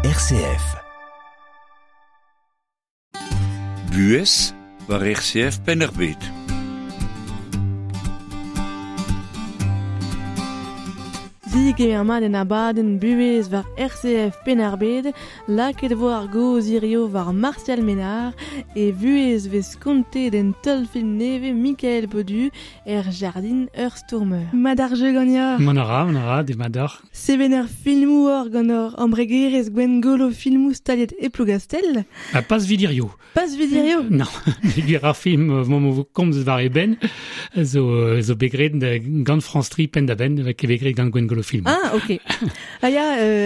RCF. Buhez war RCF Penn-ar-Bed. Digemer mat en abadenn buhez war RCF Penn-ar-Bed, lakaet vo ar gaoz hirio war Martial Ménard e vuhez vez kontet en teulfilm nevez Mikael Baudu er jardin ur stourmer. Mat ar jeu ganeoc'h. Mont a ra, mont a ra, demat deoc'h. Sevener filmoù oc'h gant hor embregerezh Gwengolo Filmoù staliet e Plougastell. Ha pas 'vit hirio. Pas 'vit hirio? Non, peogwir ar film emaomp o komz war e benn zo, zo bet graet gant France 3 penn-da-benn, ket bet graet gant Gwengolo Film. Ah, ok. Ah ya,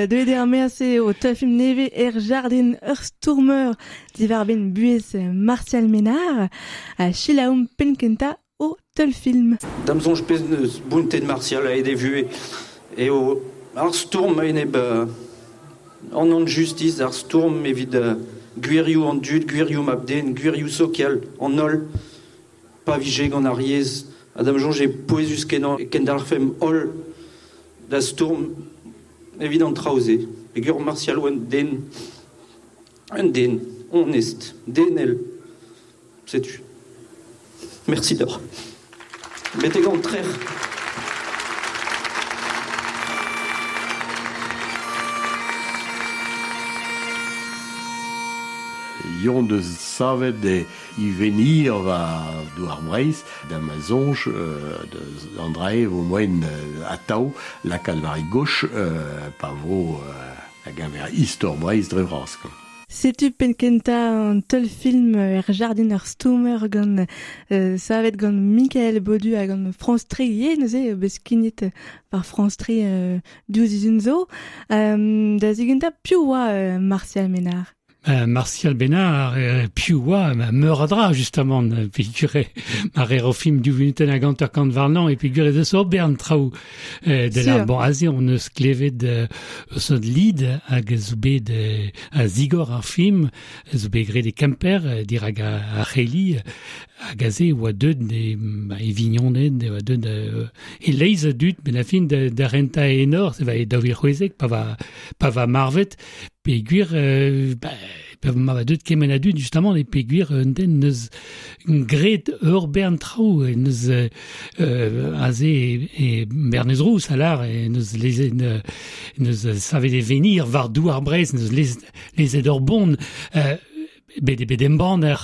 deuet eo ar maez-se o teulfilm nevez er jardin ur stourmer diwar-benn buhez Martial Ménard. Ha selaomp penn-kentañ o teulfilm. Da'm soñj pezh n'eus bountet Martial aet e vuhez eo ar stourm a-enep an anjustis, ar stourm evit gwirioù an dud, gwirioù mab-den, gwirioù sokial an holl, pa vije gant ar yezh. Ha da'm soñj eo pouezus-kenañ e kendalc'hfemp holl da stourm evit an traoù-se. Peogwir Martial oa un den, un den onest, denel. Setu. Mersi deoc'h. Betek an trec'h. Yon deus savet e ivenir war douar Breizh da ma soñj deus an dra-se vo moaien atav lakaat war e goch pa vo da geñver istor Breizh dre vras. Setu penn-kentañ an teulfilm er jardin ar stourmer gant savet gant Mikael Baudu ha gant France 3 ivez neuze bet skignet war France 3 diouzh sizhun zo. Da zigentañ piv oa Martial Ménard? Martial Bénard, piv oa meur a dra justamant peogwir ma reer o film div vunutenn hag hanter-kant warnañ e peogwir ez eus ur bern traoù de la bon aze on eus klevet eus ul lid hag zo bet a zigor ar film zo bet graet e Kemper dirak ar c'heli hag aze e oa deuet e, e vignoned e oa deuet e-leizh a dud met a fin da, da rentañ enor se va e 2016 pa va pa va marvet peogwir ba, pa ma va deuet kement a dud justement e peogwir un den neus graet ur bern traoù neus aze e Bernez Rouz a lar neus lezet neus savet e venir war douar Breizh neus lezet ur bon bet eo bet embanner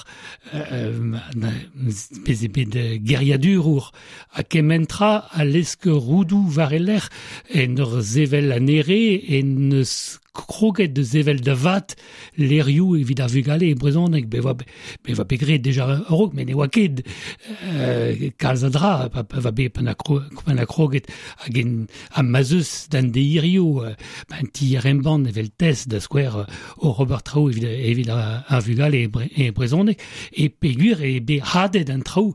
bez eo bet geriadurour ha kement tra a lesk roudoù war e lerc'h en ur sevel anezhe en eus kroget da sevel da vat levrioù evit ar vugale e brezhoneg. Bet oa bet oa bet graet deja a-raok met ne oa ket kalz a dra pa pa bet pa na kroget hag en ha ma 'z eus d'an deirioù un tier-embann evel TES da skouer oc'h ober traoù evit evit ar vugale e brezhoneg e peogwir eo bet hadet an traoù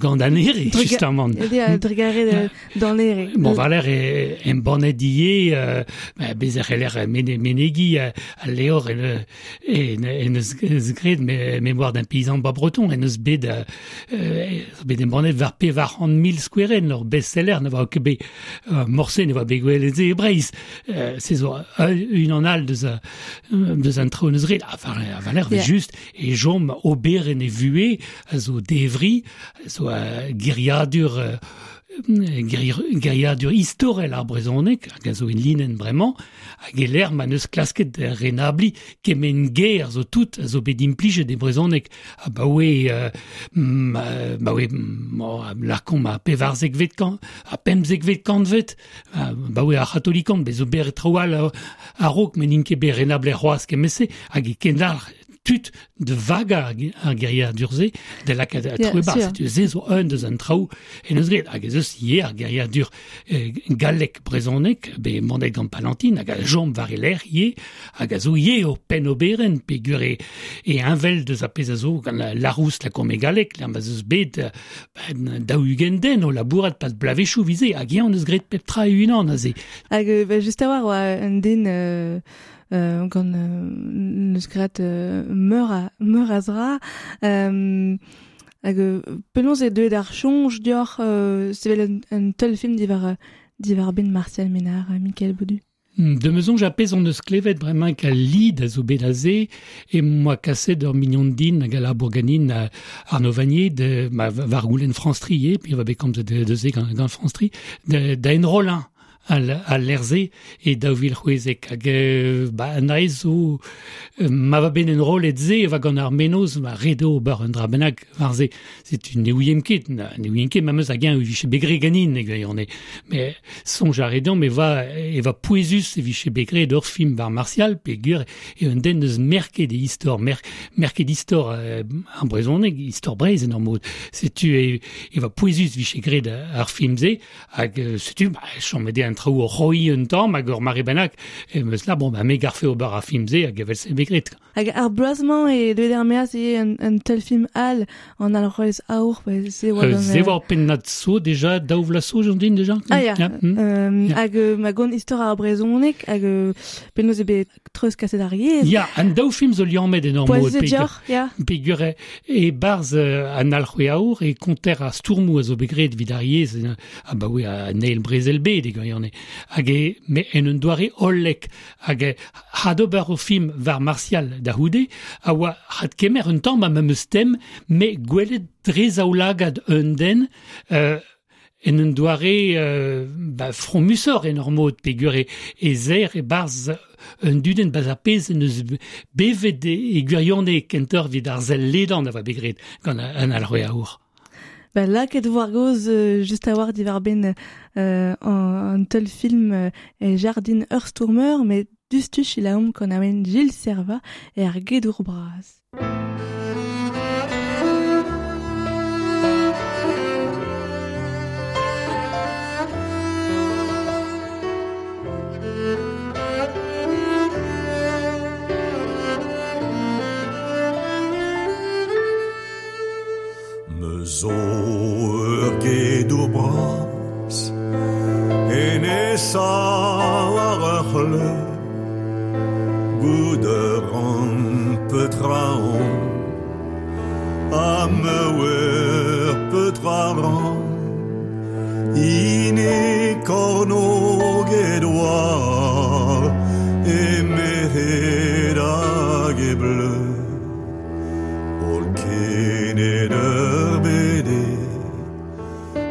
gant an ere, justement. Drugarez d'an ere. Bon, valer e embannet ivez, bez e c'heller menegiñ al levr en eus graet Mémoire d'un paysan bas breton, en eus bet bet embannet war 400 000 skouerenn, ur best-seller ne oa ket bet morse ne oa bet gwelet se e Breizh. Se zo unan all deus deus an traoù en eus graet. A valer just e chom oberenn e vuhez a zo devri, a zo geriadur geriadur istorel ar brezhoneg hag a zo en linenn bremañ hag e-lec'h ma n'eus klasket renabliñ kement ger zo tout a zo bet implijet e brezhoneg abaoe abaoe lakaomp ar pevarzekvet kant ar pemzekvet kantved abaoe ar c'hatolikant bez zo bet traoù all a-raok met n'int ket bet renablet c'hoazh kement-se hag e kendalc'h tud da vagañ ar geriadur-se da lakaat traoù e-barzh. Setu se zo un deus an traoù en eus graet. Hag ez eus ivez ar geriadur gallek brezhonek bet embannet gant Palantine hag a chom war e lerc'h ivez hag a zo ivez ur pennoberenn peogwir e, e heñvel deus ar pezh a zo gant Larousse la Combe gallek ma 'z eus bet 40 den o labourat pad bloavezhioù 'vit-se hag eñ en deus graet pep tra e-unan aze. Hag bah, just a-walc'h oa un den gant neus graet meur a meur a zra. Hag penaos eo deuet ar soñj deoc'h sevel un, un teulfilm diwar diwar-benn Martial Ménard, Mikael Baudu? De mezon japez on eus klevet bremañ ka lid a zo bet aze e moa kaset ur mignon din hag a la bourganin Arnaud Vanier de ma war goulenn France Tri puis va bet komz de ze gant France Tri da enrollañ al lerze e daouvil c'hwezek hag ba an aez zo ma va ben enrollet ze va gant ar menoz ma redo ober un dra bennak war ze c'est ne ouiem ket ne ouiem ket ma meus hag eñ e vije begre ganin e gwirionez mais soñj a redan me va e va pouezus e vije begre d'ur film war Martial peogwir e un den eus merket e istor merket istor an brezhoneg istor Breizh en ur mod setu e va pouezus vije graet ar film-se hag setu ba chom eo an traoù o roiñ un tamm hag ur mare bennak e meus la bon ba me garfe ober ar film-se hag evel se begret. Hag ar bloaz-mañ e deuet er maez eo un teul film all an alc'hwez aour se oa gant... Se oa ur pennad so déjà, daou vloaz so j'en din déjà. Ah ya, hag ma gont istor ar brezhoneg hag penaos eo bet treuzkaset ar yezh. Ya, an daou film zo liammet en ur mod. Poazet dioc'h, ya. Peogwir e barzh an alc'hwez aour e konter ar stourmoù a zo bet graet evit ar yezh abaoe an eil brezel bed e gwirionez. Hag e, me en un doare hollek hag had ober o film war Martial da c'houde a oa had kemer un tamm ha memes tem me gwelet dre zaoulagad un den en un doare ba, fromusoc'h en ur mod peogwir e zer e-barzh un dudenn ba'z ar pezh en deus bevet e gwirionez kentoc'h evit ar sell ledan a oa bet graet gant an alc'hwez aour. Ba, lakaet war gaoz just a-walc'h diwar-benn an teul film e Jardin ur stourmer, met diouzhtu selaomp gant awen Gilles Servat er Gedour Bras. Me zo ur gedour bras en e sav ar ur c'hleuz Gout a ran petra on ha me oar petra ran Hini kornôg e douar e merc'hed hag e bleu Holl kened ur bed eo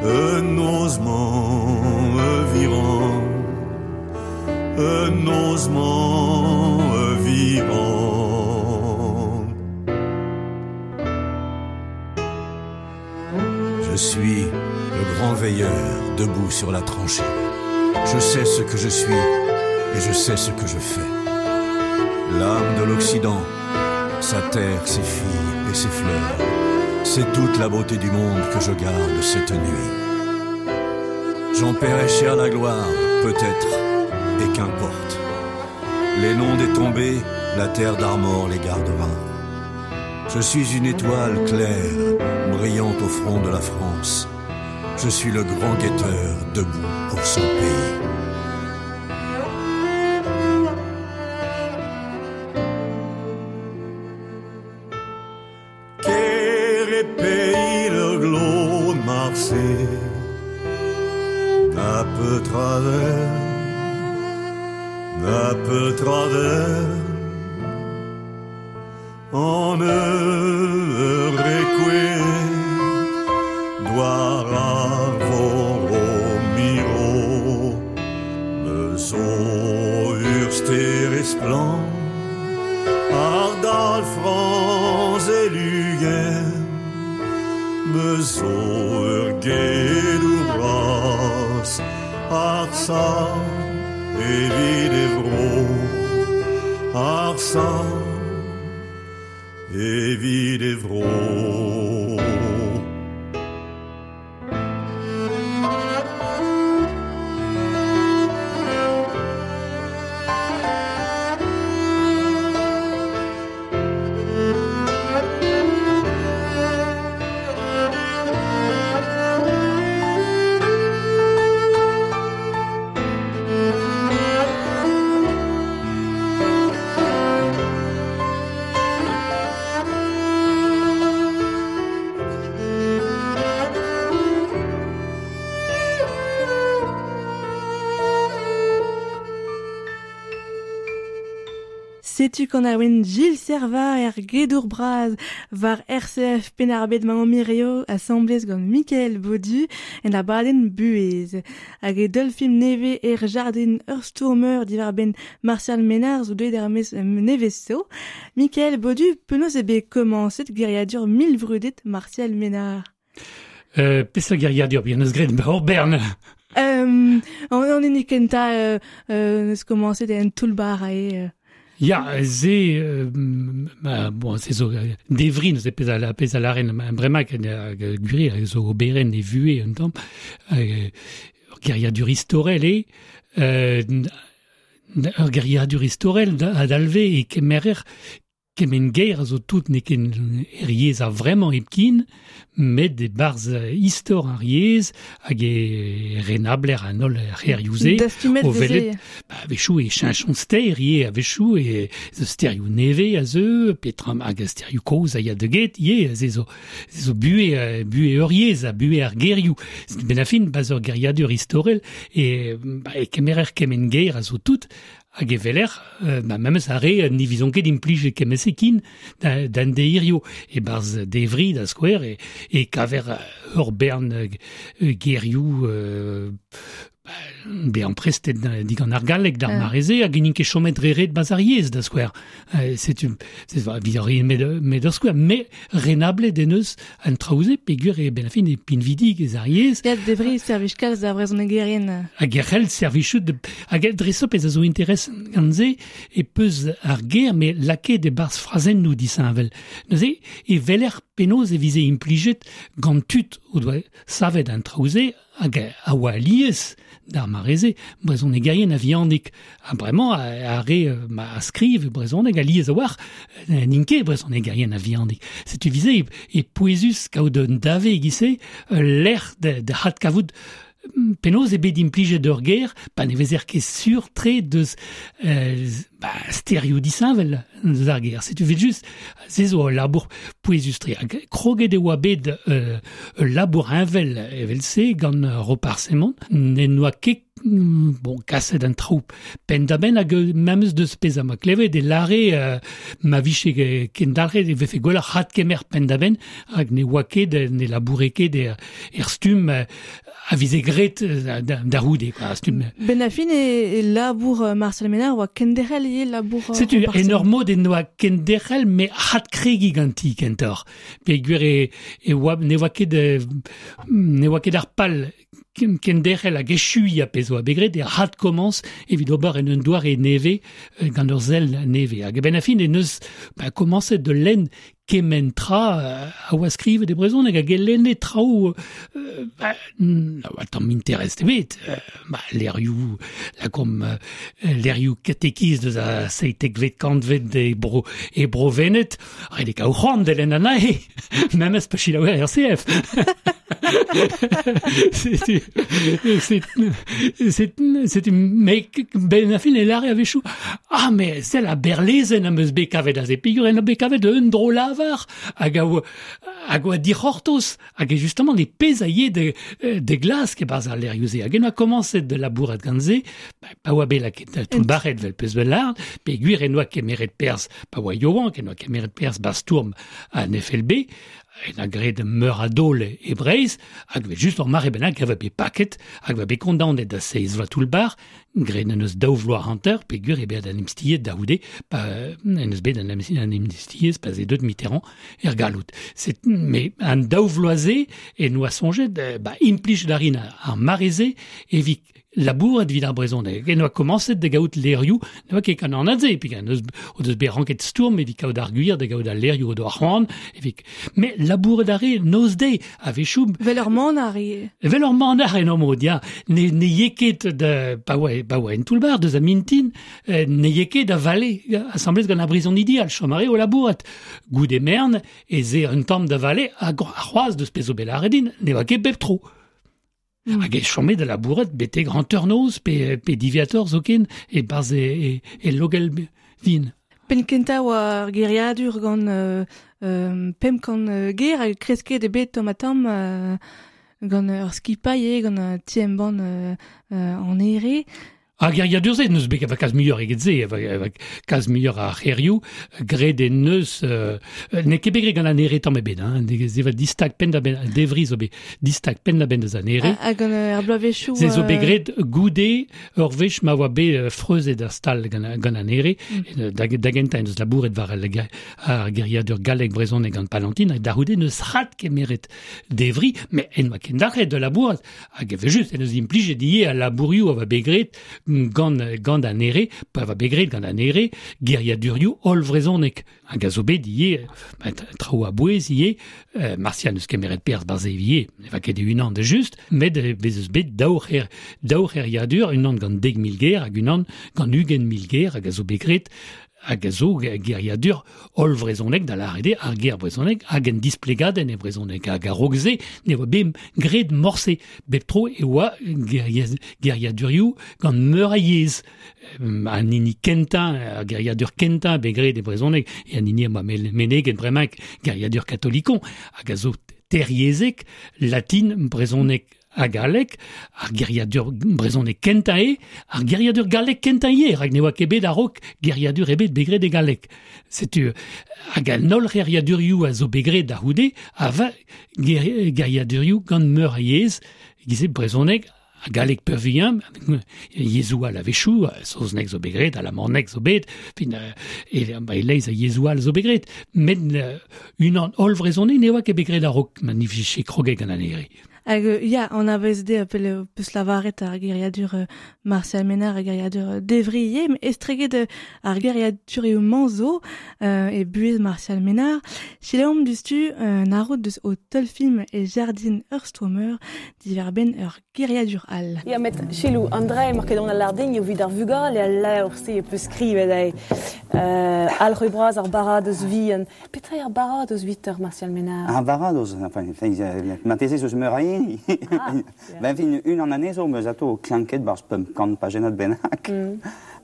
Un noz-mañ e viran Un noz-mañ e viran Je suis le grand veilleur debout sur la tranchée. Je sais ce que je suis et je sais ce que je fais. L'âme de l'Occident, sa terre, ses filles et ses fleurs, c'est toute la beauté du monde que je garde cette nuit. J'en paierai cher la gloire, peut-être, et qu'importe. Les noms des tombés, la terre d'Armor les gardera. Je suis une étoile claire, brillante au front de la France. Je suis le grand guetteur debout pour son pays. Ker e pays le glo Marseille Na peu travers, na peu travers En eur requie Doar ar vor o miro Me zo ur ster e splann Ar dal Frañs e lugern Me zo ur gedour bras Ar sav evit e vro Ar sav evit e vro. Setu kan ar wen Gilles Serva er gedour braz var RCF Penarbet maman Mirio assemblez gant Michael Baudu en abadenn buez. Hag e deul film neve er jardin ur stourmeur diwar ben Martial Ménard zo deuet er mez nevez zo. Michael Baudu penaos e bet komañset geriadur milvrudet Martial Ménard. Peseurt geriadur bien eus graet hor bern. An hini kentañ neus komañset en toull-bar ae. Ya, ze, bon, se zo devrin, ze pezh a, pezh a laren bremañ gwir, zo oberen e vue un tamm, ur geriadur istorel eo, ur geriadur istorel a dalve e kemerer kement ger a zo tout n'eo ket er yezh a vremañ hepken, met e barzh istor ar yezh hag e renabler an holl c'herioù-se. Dastumet o welet, ba, a-wechoù e cheñchont ster ivez, a-wechoù e zo sterioù nevez a zeu, petra hag a sterioù kozh a ya da get ivez, se zo, se zo buhez, buhez ur yezh ha buhez ar gerioù. Ben a fin, barzh ur geriadur istorel, e, ba, e kemerer kement ger a zo tout, hag e weler, ba, memes ar re ne vizont ket implij kement-se kin d'an deirio e-barzh devri da skouer e kaver ur bern gerioù bezañ prestet digant ar galleg d'ar mare-se hag n'int ket chomet dre ret barzh ar yezh da skouer. Setu evit ar met ur skouer, met renablet en eus an traoù-se peogwir eo ben a fin e pinvidik ez ar yezh. Ya, devri servij kalz da vrezhonegerien. Hag e c'hell servijout hag dreist-holl pezh a zo interesant gant se e peus ar ger met lakaet e-barzh frazennoù disheñvel. Neuze e weler penaos e vize implijet gant tud o doa savet an traoù-se hag a oa alies d'ar mare-se brezhonegerien a-vihanik. Ha bremañ ar re a skriv e brezhoneg alies a-walc'h n'int ket brezhonegerien a-vihanik. Setu vize e pouezus kaout un dave e-giz-se, ul lec'h da adkavout penaos eo bet implijet ur ger pa ne vezer ket sur-tre deus ba, sterioù disheñvel deus ar ger. Setu evel-just, se zo ul labour pouezus-tre. Hag kroget e oa bet ul labour heñvel evel-se gant Roparz Hemon. N'en doa ket bon, kaset an traoù penn-da-benn hag memes deus pezh am boa klevet e lâre ma vije kendalc'het e vefe gwelloc'h adkemer penn-da-benn rak ne oa ket, ne laboure ket er stumm a vize graet da c'houde, quoi, stumm. Ben a fin e labour Marcel Ménard oa kenderc'hel ivez labour Setu, en ur mod en doa kenderc'hel met adkregiñ ganti kentoc'h. Peogwir e oa ne oa ket ne oa ket ar pal kenderc'hel hag echuiñ ar pezh oa bet graet e adkomañs evit ober en un doare nevez gant ur sell nevez. Hag a-benn ar fin en deus ba, komañset da lenn kement tra a oa skrivet e brezhoneg hag e lenne traoù ba, na oa tamm interest ebet. Ba, levrioù, lakaomp levrioù katekiz deus a seitekvet kantved e bro, e bro Vened, ret eo kaout c'hoant da lenn anezhe, memes pa selaouer RCF. Setu me ben a fin e lâre a-wechoù ah mais sell a berlezenn am eus bet kavet aze peogwir en bet kavet un dro-lavar hag a oa hag oa dic'hortoz hag e justement e pezh a ye de glask e-barzh ar levrioù-se hag en oa komañset da labourat gant se pa oa bet lakaet toullbac'het 'vel peus bet lâret peogwir en doa kemeret perzh pa oa yaouank en doa kemeret perzh 'ba stourm an FLB en a graet meur a daol e Breizh hag evel just ur mare bennak a va bet paket hag va bet kondaonet da seizh vloaz toull-bac'h graet en deus daou vloaz hanter peogwir eo bet amnistiet da c'houde pa en deus bet an amnistiezh pa 'z eo deuet Mitterrand er galloud. Mais an daou vloaz-se en oa soñjet ba implij da rin ar mare-se evit labourat evit ar brezhoneg. En oa komañset da gaout levrioù, ne oa ket gant an anad-se, peogwir o deus bet ranket stourm evit kaout ar gwir da gaout al levrioù o doa c'hoant. Evit... Mais labourat a re noz-deiz, a-wechoù... Vel ur manac'h ivez. Vel ur manac'h en ur mod, ya. Ne, ne ye ket da, pa oa, pa oa en toull-bac'h deus a mintin, ne ye ket da vale asambles gant ar brizonidi all, chom a re o labourat. Goude mern, ez eo un tamm da vale, hag c'hoazh deus pezh zo bet lâret din, ne oa ket bep tro. Hag e chome da labourat betek hanternoz pe, pe diwezhatoc'h zoken e-barzh e, e, e logell vin. Penn kentañ oa ar geriadur gant 500 ger hag kresket eo bet tamm-ha-tamm gant ur skipailh eo, gant ti-embann an Here. Ar geriadur-se n'eus bet ket kalz muioc'h eget se, kalz muioc'h ar c'herioù, graet en neus, n'eo ket bet graet gant an ere tamm ebet, hein, se va distag penn da benn, devri zo bet distag penn da benn deus an ere. Hag gant ar bloavezhioù... Se zo bet graet goude ur wech ma oa bet freuzet ar stal gant an ere, da gentañ en deus labouret war ar geriadur gallek brezhoneg gant Palantine, hag da c'houde n'eus rat kemeret devri, met en oa kendalc'het da labourat, hag evel-just en deus implijet ivez al labourioù a oa bet graet gant an ere, pa va bet graet gant an ere, geriadurioù hollvrezhonek. Hag a zo bet ivez, traoù a-bouez ivez, Martial n'eus kemeret perzh barzh ivez, ne va ket e-unan da just, met bez eus bet daou c'heriadur, unan gant 10,000 ger hag unan gant 20,000 ger, hag a zo bet graet hag a zo geriadur hollvrezhonek, da lâret eo ar ger brezhonek hag en displegadenn e brezhoneg. Hag a-raok se ne oa bet graet morse. Bep tro e oa geriadurioù gant meur a yezh. An hini kentañ, ar geriadur kentañ bet graet e brezhoneg, e an hini am boa meneget bremañ, geriadur katolikon, hag a zo teryezhek, latin, brezhoneg ha galleg, ar geriadur brezhoneg kentañ eo, ar geriadur gallek kentañ ivez, rak ne oa ket bet a-raok geriadur ebet bet graet e galleg. Setu, hag an holl c'heriadurioù a zo bet graet da c'houde a va geriadurioù gant meur a yezh, e-giz brezhoneg ha galleg peurvuiañ, yezhoù all a-wechoù, saozneg zo bet graet, alamaneg zo bet, fin, e-leizh a yezhoù all zo bet graet, met unan holl vrezhoneg ne oa ket bet graet a-raok ma ne vije kroget gant an ere. Hag ya, anavez eo pel peus lavaret ar geriadur Martial Ménard, ar geriadur Devrier, met estreget ar geriadurioù-mañ zo e buhez Martial Ménard. Selaomp diouzhtu un arroud deus o teulfilm e jardin ur stourmer diwar-benn ur geriadur all. Ya, met selaou, an dra emañ ket an alardin evit ar vugale al levr-se e peus skrivet eo. Alc'hwez bras ar baradoz vihan. Petra eo ar baradoz evit Martial Ménard? Ar baradoz, enfin, marteze eus meur a hini. Ben fin, unan anezho meus atao klanket barzh 500 pajennad bennak.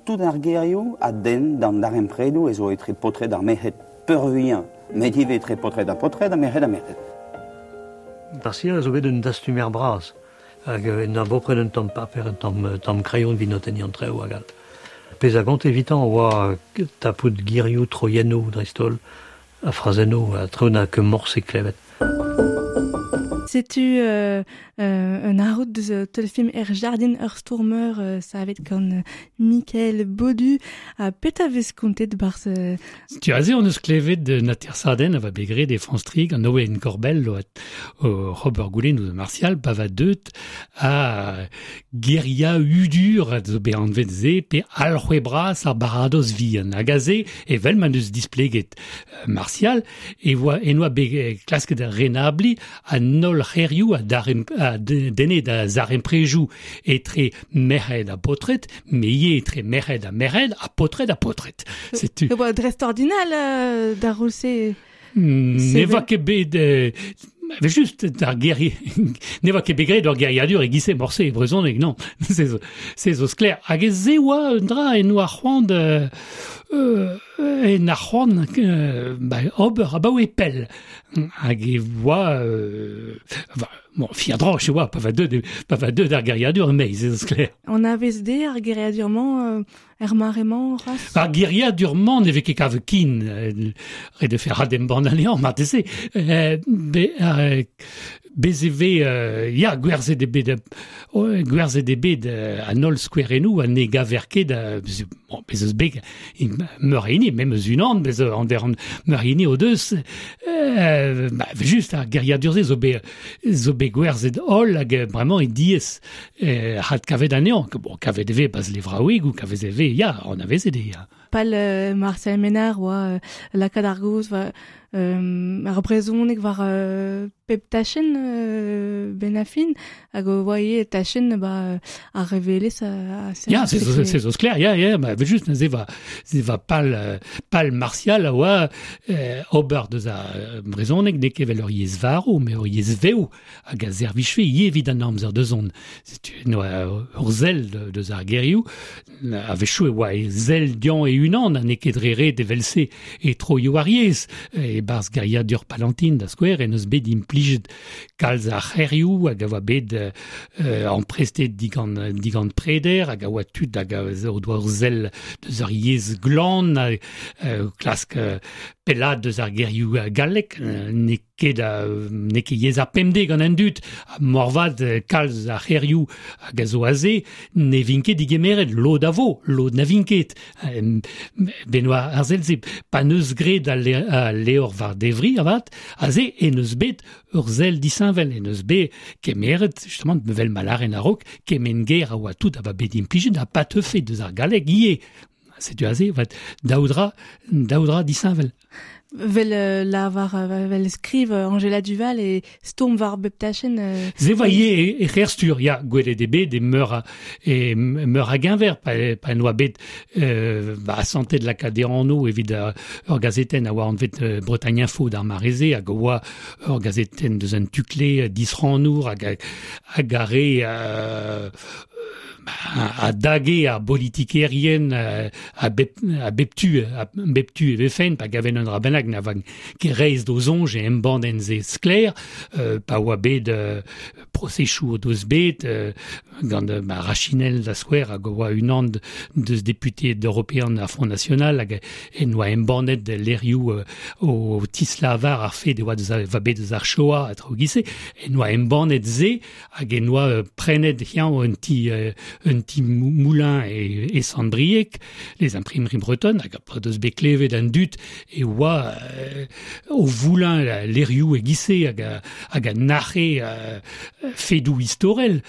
Tout ar gerioù a denn d'an darempredoù ez zo etre paotred ar merc'hed peurvuiañ, met ivez etre paotred ha paotred ha merc'hed ha merc'hed. Martial a zo bet un dastumer bras hag en doa bopred un tamm paper, un tamm kreion evit notenniñ an traoù hag all. Pezh a gonte evitañ a oa tapout gerioù, troiennoù dreist-holl, ha frazennoù ha traoù na ket morse klevet. Setu un arroud deus teulfilm Er Jardin ur stourmer savet gant Mikael Baudu. Ha petra vez kontet barzh... Setu aze hon eus klevet un atersadenn a va bet graet e France 3 gant Owen Corbel o Robert Goulen ouzh Martial pa va deut a geria hudur a zo bet anvet se pe alc'hwez bras ar baradoz vihan. Hag aze, evel ma neus displeget Martial, e oa en oa bet klasket renabliñ an holl c'herioù a denne da zaremprejoù etre merc'hed ha paotred, met ivez etre merc'hed ha merc'hed ha paotred ha paotred. Setu. E oa dreistordinal d'ar roll-se. Ne oa ket bet... Just ar geri... ne oa ket bet graet ur geriadur e-giz-se morse e brezhoneg, non. Se zo sklaer. Hag ez e oa un dra en oa c'hoant en ar c'hoant ober abaoe pell. Hag e oa... bon, fier-droch e oa pa va deut ar geriadur e-maez, se zo sklaer. Anavez dezhe ar geriadur-mañ er mare-mañ c'hoazh? Ar geriadur-mañ ne vez ket kavet ken. Ret eo faire adembann anezhañ marteze. Bez e vez, ya, gwerzhet eo bet an holl skouerennoù ha ne gaver ket, bon, bez eus bet meur a hini, memes unan, bez an meur a hini o deus, just ar geriadur-se zo bet gwerzhet holl hag bremañ e diaes hadkavet anezhañ. Bon, kavet e vez bas levraouegoù, kavet e vez, ya, anavezet eo, ya. Pal Martial Ménard oa lakaat ar gaoz war ar brezhoneg war pep tachenn ben a fin hag o oa ivez tachenn ba ar revelezh Ya, c'est zo sklaer, ya, ya, ma just neuze va va pal Martial a oa ober deus ar brezhoneg n'eo ket evel ur yezh varv, met ur yezh vev hag a servijfe ivez evit an amzer da zont. Setu noa ur sell deus ar gerioù, a-wechoù e oa e sell dezhañ e-unan ha n'eo ket dre ret evel-se e troioù ar yezh. E e barz geriadur Palantin da skouer, en eus bet implijet kalz ar c'herioù hag a oa bet amprestet digant preder hag a oa tud hag a o doa ur sell deus ar yezh glan klask pellad deus ar gerioù gallek n'eo ket n'eo ket yezh ar pemdez gant an dud ha moarvat kalz ar c'herioù hag a zo aze ne vint ket digemeret lod a vo, lod na vint ket. Benoît ar sell-se pa n'eus graet al levr war devri avat aze en eus bet ur sell disheñvel en eus bet kemeret justement mevel ma lâren a-raok kement ger a oa tout a oa bet implijet ha pa teufe deus ar galleg ivez. Setu aze vat daou dra disheñvel. Vel lavar vel skriv Angela Duval e stourm war bep tachenn. Se oa ivez e c'her-stur, ya, gwelet eo bet e meur a geñver pa en oa bet asantet lakaat e anv evit ur gazetenn a oa anvet Bretagne Info d'ar mare-se hag a oa ur gazetenn deus un tukle disrannour hag a re a dage ar bolitikerien a bep tu e vefen pa gaven un dra bennak na van ket reizh d'o soñj e embann se sklaer pa oa bet prosesoù o deus bet gant ma Rachinel da skouer hag oa unan deus deputeed european ar Front National hag en oa embannet lerioù o tislavar ar fed e oa deus va bet deus ar Shoah a traoù giz-se en oa embannet se hag en oa prenet hiziv un ti moulin e Sant-Brieg, les imprimeries bretonnes, hag a deus bet klevet an dud e oa o voulañ lerioù e giz-se hag a nac'he fedoù istorel.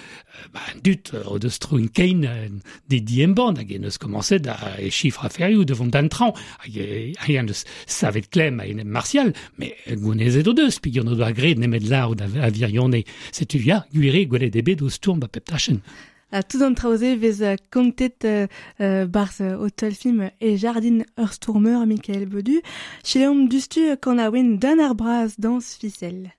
Ba, an dud o deus troin kein de diembann hag en eus komañset a e chifr aferioù de vont d'an traoñ hag en eus savet klemm a-enep Martial, met gounezet o deus peogwir n'o doa graet nemet lârout a virione. Setu ya, gwir eo gwelet eo bet o stourm ba pep tachenn. Ha tout an traoù-se vez kontet barzh o teulfilm e jardin ur stourmer Mikael Baudu. Selaomp diouzhtu kanaouenn Dan ar Braz dañs Fisel.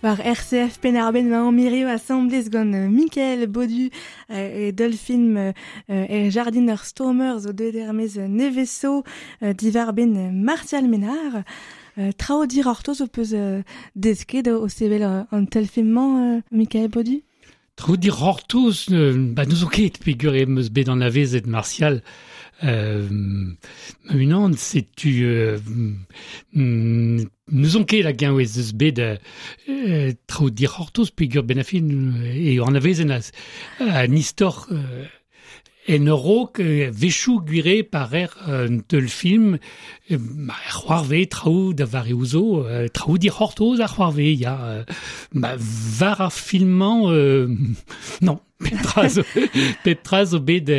War RCF Penn-ar-Bed ma mirio asamblez gant Mickaël Baudu e Dolphin e Jardiner Stormer zo deuet er-maez neveso diwar ben Martial Ménard. Trao dir ortoz o peus desket o sevel an telfilm-mañ, Mickaël Baudu? Trao dir ortoz, ba n'eus ket peogwir em eus bet anavezet Martial ma-unan, setu n'ouzon ket hag-eñ ez eus bet traoù dic'hortoz peogwir benn ar fin eo anavezen an istor en a-raok wechoù gwir eo pa rer un teulfilm ma c'hoarvez traoù da vareoù zo, traoù dic'hortoz a c'hoarvez, ya. Ma war ar film-mañ, non. Pep tra zo bet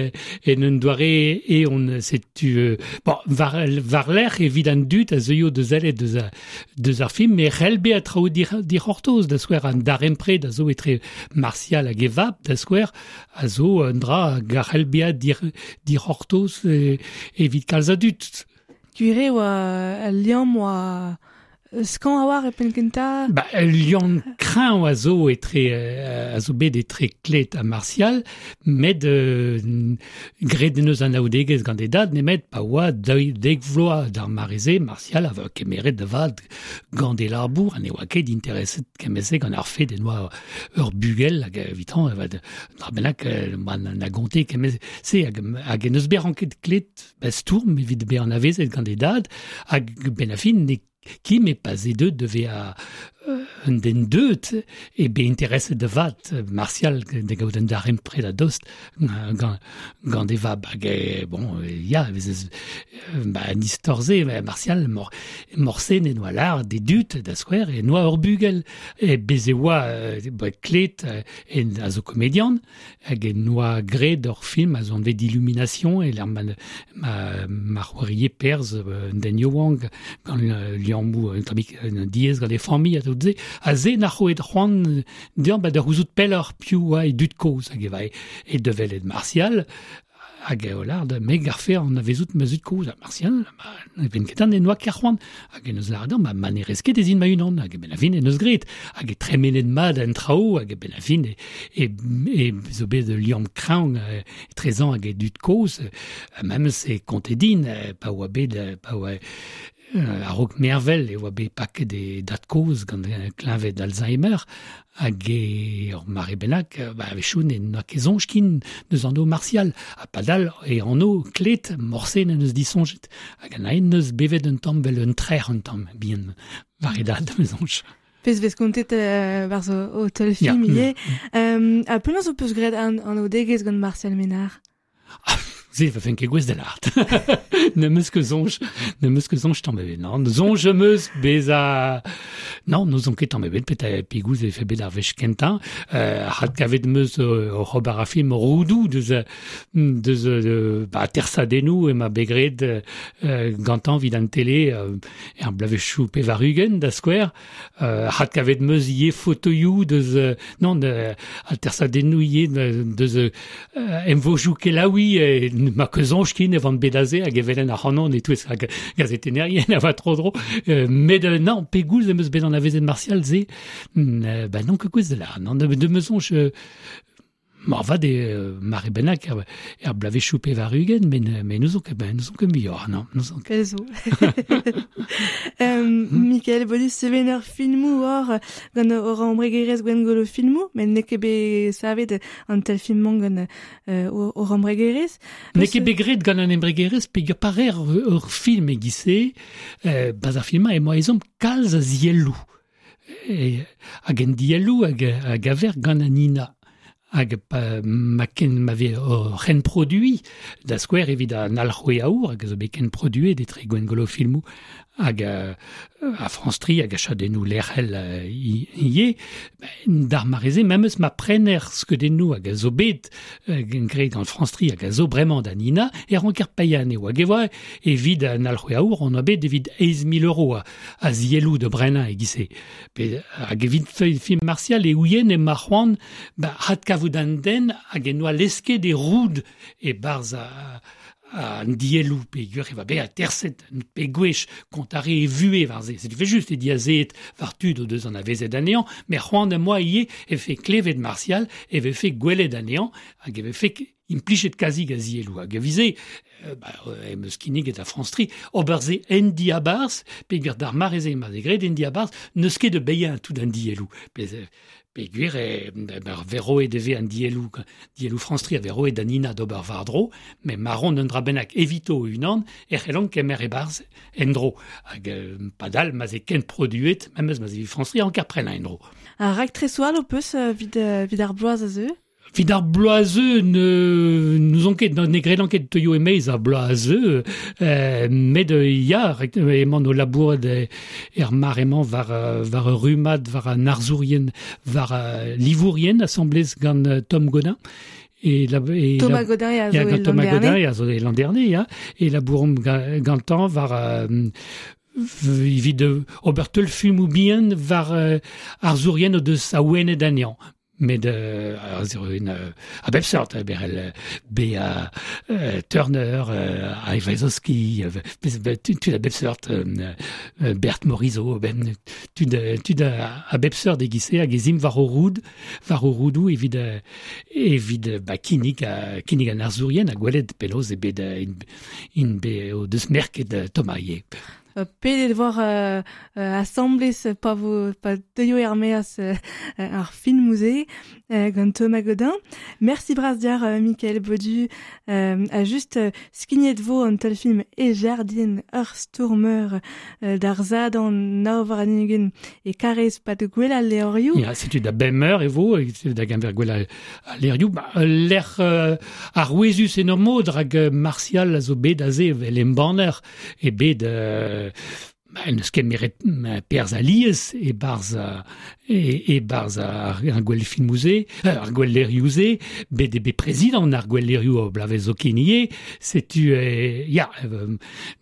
en un doare eon setu bon, war-lerc'h evit an dud a zeuio da sellet deus ar film e c'hell bezañ traoù dic'hortoz da skouer an darempred a zo etre Martial hag e vab da skouer a zo un dra hag a c'hell bezañ dic'hortoz evit kalz a dud. Gwir eo al liamm oa Skañv a-walc'h e penn-kentañ? Ba, ul liamm kreñv a zo etre a zo bet etre Klet ha Martial, met graet en deus anaoudegezh gant e dad nemet pa oa dek vloaz d'ar mare-se, Martial a voa kemeret da vat gant e labour ha ne oa ket intereset kement-se gant ar fed en oa ur bugel hag evitañ dra bennak na gonte kement-se hag en deus bet ranket Klet ba stourm evit bezañ anavezet gant e dad hag benn ar fin ne Kim e pa 'z eo deuet da vezañ un den deuet eo bet intereset da vat Martial da gaout un darempred a-dost gant e vab hag bon ya e vez ba an istor-se Martial morse ne noa lâret d'e dud da skouer e noa ur bugel e bez e oa klet en a zo komedian hag en doa graet ur film a zo anvet Illumination e lec'h ma c'hoarie perzh un den yaouank gant liammoù un tammig diaes gant e familh ha tout se. Ha se na c'hoet c'hoant dezhañ ba da c'houzout pelloc'h piv oa e dud-kozh hag e vae e da welet Martial Hag eo lâret, me garfe anavezout ma zud-kozh ha Martial, ma ne ven ket en noa ket c'hoant. Hag en deus lâret ma ma ne rez ket ez in ma-unan. Hag a-benn ar fin en deus graet. Hag e tremenet mat an traoù, hag a-benn ar fin e zo bet ul liamm kreñv etrezañ hag e dud-kozh. Memes e konte din pa oa bet pa oa A-raok mervel e oa bet paket e dad-kozh gant kleñved Alzheimer hag e ur mare bennak ba a-wechoù ne n'oa ket soñj ken deus anv Martial ha padal e anv Klet morse n'en deus disoñjet hag an aen neus bevet un tamm 'vel un trec'h un tamm bihan war e dad me soñj. Pezh vez kontet barzh o teulfilm ivez. Ha penaos ho peus graet an anaoudegezh gant Martial Ménard? Se va fen ket gouest da lâret. N'em eus ket soñj, n'em eus ket soñj tamm ebet, non. Soñj am eus bezañ... Non, n'ouzon ket tamm ebet petra pegoulz e vefe bet ar wech kentañ. Adkavet em eus oc'h ober ar film Roudoù deus deus ba atersadennoù emañ bet graet gantañ evit an tele er bloavezhioù 80 da skouer. Adkavet 'm eus ivez fotoioù deus non atersadennoù ivez deus emvojoù kelaouiñ ma ket soñj ken e van bet aze hag e welen ac'hanon e-touez ar gazetennerien a oa tro-dro met non pegoulz em eus bet anavezet Martial se ba n'on ket gouest da lâret non de me soñj Moarvat eo mare bennak er bloavezhioù 80 met n'ouzon ket n'ouzon ket muioc'h, non, n'ouzon ket. Pezh zo. Mikael Bodis, sevener filmoù oc'h gant hor embregerezh Gwengolo Filmoù, met n'eo ket bet savet an teulfilm-mañ gant hor embregerezh. N'eo ket bet graet gant an embregerezh peogwir pa reer ur film e-giz-se, barzh ar film-mañ emañ ezhomm kalz a zielloù. Hag en dielloù a gaver gant an INA. Hag pa ma ken ma vez o c'henproduiñ, da skouer evit an alc'hwez aour hag a zo bet kenproduet etre Gwengolo Filmoù hag a France Tri hag a chadennoù lec'hel ivez, d'ar mare-se memes ma prener skeudennoù hag a zo bet graet gant France Tri hag a zo bremañ da Nina, e ranker paeañ anezho. Hag e oa evit an alc'hwez aour on oa bet evit 8 000 euros a zielloù da brenañ e-giz-se. Pe hag evit film Martial e ouien emañ c'hoant ba adkavout an den hag en doa lesket e roud e-barzh an dielou pe gwir e va bezañ terset pe gwech kontare e vue war se. C'est fait juste e diazet war tud o deus an avezet anezhañ, met c'hoant am boa ivez e fe klevet Martial e vefe gwelet anezhañ hag e vefe implichet kazi a zielou. Hag e vize, em eus kinniget a France 3, ober se en diabarz, pe gwir d'ar mare-se ma ze graet en diabarz, n'eus ket de beilhañ tout an dielou. Pe gwir e verroet e ve an dielou, dielou France 3 a verroet an ina d'ober war-dro, met marron un dra bennak evito unan, e c'hellont kemer e-barz en-dro. Hag padal ma ze ken produet, memes ma ze France 3 an prenañ en-dro. Ar raktres all ho peus vid ar bloaz a zeu? Vid ar bloaz-eu nous on ket, ne gredan ket teuio e-maez ar bloaz-eu, met ya, emañ o labourat er mar-emañ war war rummad, war an arzourien, war livourien asamblez gant Tom Godin. Et Thomas Godin ya, gant Thomas Godin ya zo e l'an dernier, ya, e labouromp gantañ war evit ober teulfilmoù bihan war arzourien o deus awenet anezhañ. Met a bep seurt, berel B.A. Turner, Aivazowski, tud a bep seurt, Bert Morisot, ben, tud a bep seurt e-giz-se hag ez imp war o roud, war o roudoù evit ba, kinnig an arzourien ha gwelet penaos e bet in be o deus merket Thomas ivez. Pedet war asamblez pa vo pa deuio er-maez ar film-se gant Thomas Godin. Merci bras diar Mickaël Baudu a just skignet vo an teulfilm e jardin ur stourmer d'ar zad an nav war an ugent e karez pa de gwell al levrioù. Ya, setu da bemeur e vo, da gamber gwell al levrioù. Ba, lec'h ar ouezus en ur mod rak Martial a zo bet aze vel embanner e bet n'eus ket meret perzh alies e barz ar gwell filmoù-se, ar gwell levrioù-se, bet e bet prezidant ar gwell levrioù o blavez zo ken ivez, setu ya,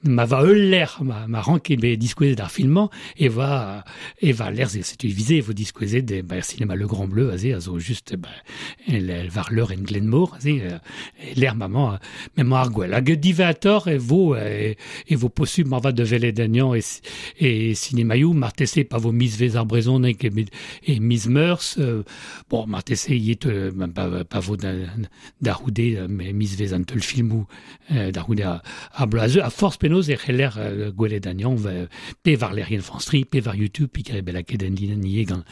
ma va ul lec'h, ma rank bet diskouezet ar filmañ, e va lec'h, setu vize e vo diskouezet ba, er cinéma Le Grand Bleu, aze, a zo just ba, war leur en Glenmor, aze, lec'h maman, maman ar gwell. Hag divator e vo posubl ma va de velet anezhañ e cinémaioù, marteze pa vo mizvez ar brezhoneg e miz meurzh, bon, marteze yet pa vo da c'houde mizvez an teulfilmoù da c'houde ar bloaz a forz penaos e c'heller gwelet anezhañ pe war lec'hienn France 3, pe war YouTube, pe kere belaket en dinen ivez gant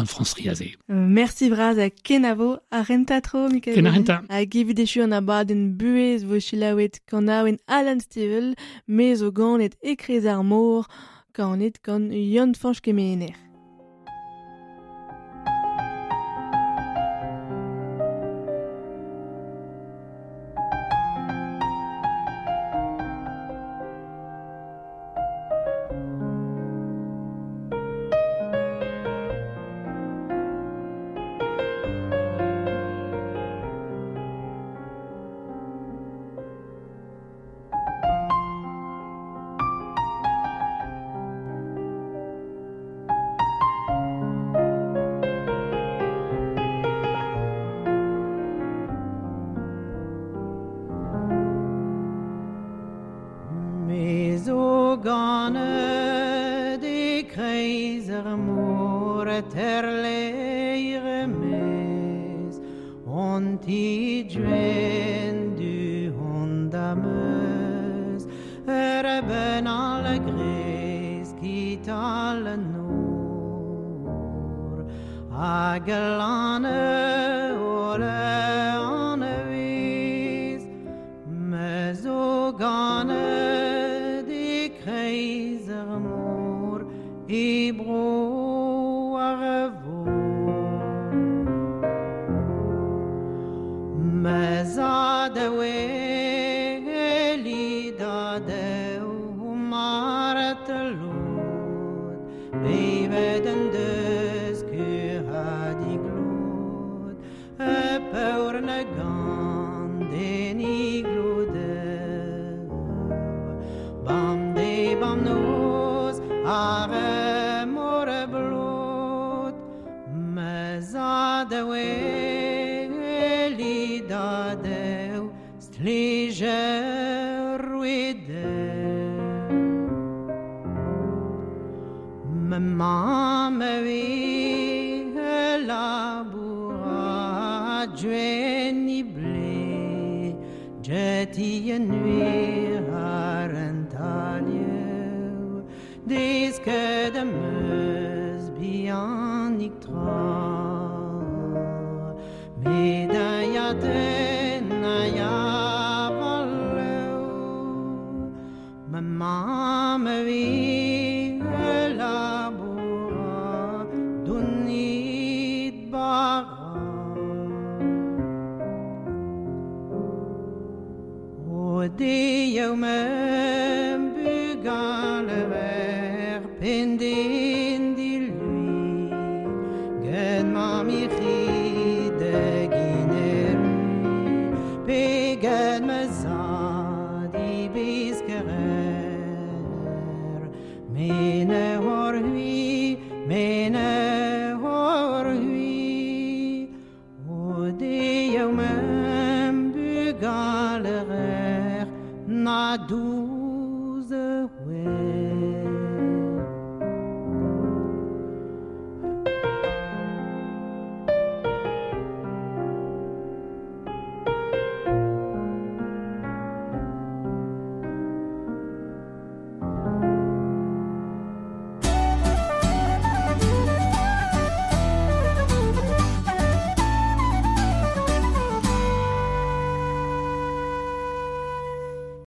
France 3 aze. Merci bras ha kenavo a renta tro, Mickaël. Ken a renta. Hag evit echu an abadenn buhez vo selaouet kanaouenn Alan Stivell, me zo ganet e kreiz ar mor, kanet gant Yann Fañch Kemener. Da dew, stlige. rouede. Ma mamm a vez laboura djeni ble Jeti en nuir ar an talieù Desket am eus bihanik tra Met a ya den a ya valeu Ma mamm a vez laboura Donit bara O deioù ma bugale ver pendin di lui Get ma michi de gineru Pe get ma zad i beskerer Mene hor hui, mene hor hui O deioù ma bugale ver na douze wez.